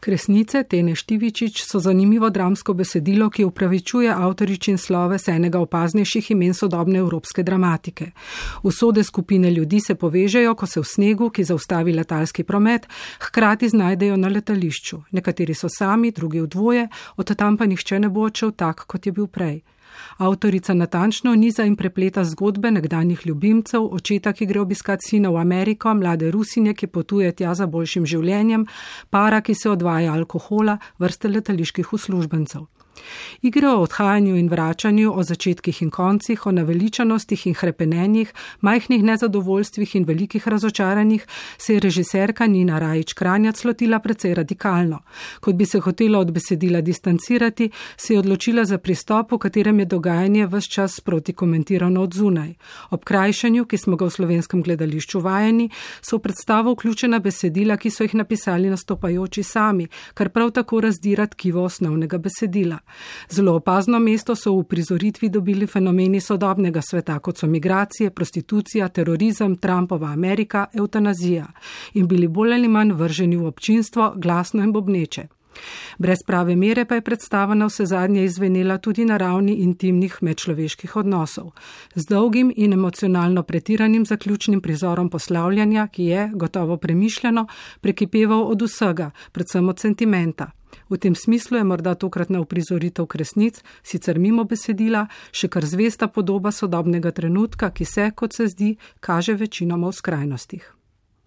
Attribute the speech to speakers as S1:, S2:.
S1: Kresnice Tene Štivičič so zanimivo dramsko besedilo, ki upravičuje avtoričin sloves enega opaznejših imen sodobne evropske dramatike. Usode skupine ljudi se povežejo, ko se v snegu, ki zaustavi letalski promet, hkrati znajdejo na letališču. Nekateri so sami, drugi v dvoje, od tam pa nihče ne bo odšel tak, kot je bil prej. Avtorica natančno niza in prepleta zgodbe nekdanjih ljubimcev, očeta, ki gre obiskat sina v Ameriko, mlade Rusinje, ki potuje tja za boljšim življenjem, para, ki se odvaja alkohola, vrste letaliških uslužbencev. Igre o odhajanju in vračanju, o začetkih in koncih, o naveličanostih in hrepenenjih, majhnih nezadovoljstvih in velikih razočaranjih se je režiserka Nina Rajić-Kranjac lotila precej radikalno. Kot bi se hotela od besedila distancirati, se je odločila za pristop, v katerem je dogajanje ves čas sproti komentirano od zunaj. Ob krajšanju, ki smo ga v slovenskem gledališču vajeni, so v predstavo vključena besedila, ki so jih napisali nastopajoči sami, kar prav tako razdira tkivo osnovnega besedila. Zelo opazno mesto so v prizoritvi dobili fenomeni sodobnega sveta, kot so migracije, prostitucija, terorizem, Trumpova Amerika, evtanazija in bili bolj ali manj vrženi v občinstvo, glasno in bobneče. Brez prave mere pa je predstava na vsezadnje izvenela tudi na ravni intimnih medčloveških odnosov, z dolgim in emocionalno pretiranim zaključnim prizorom poslavljanja, ki je, gotovo premišljeno, prekipeval od vsega, predvsem od sentimenta. V tem smislu je morda tokratna uprizoritev Kresnic, sicer mimo besedila, še kar zvesta podoba sodobnega trenutka, ki se, kot se zdi, kaže večinoma v skrajnostih.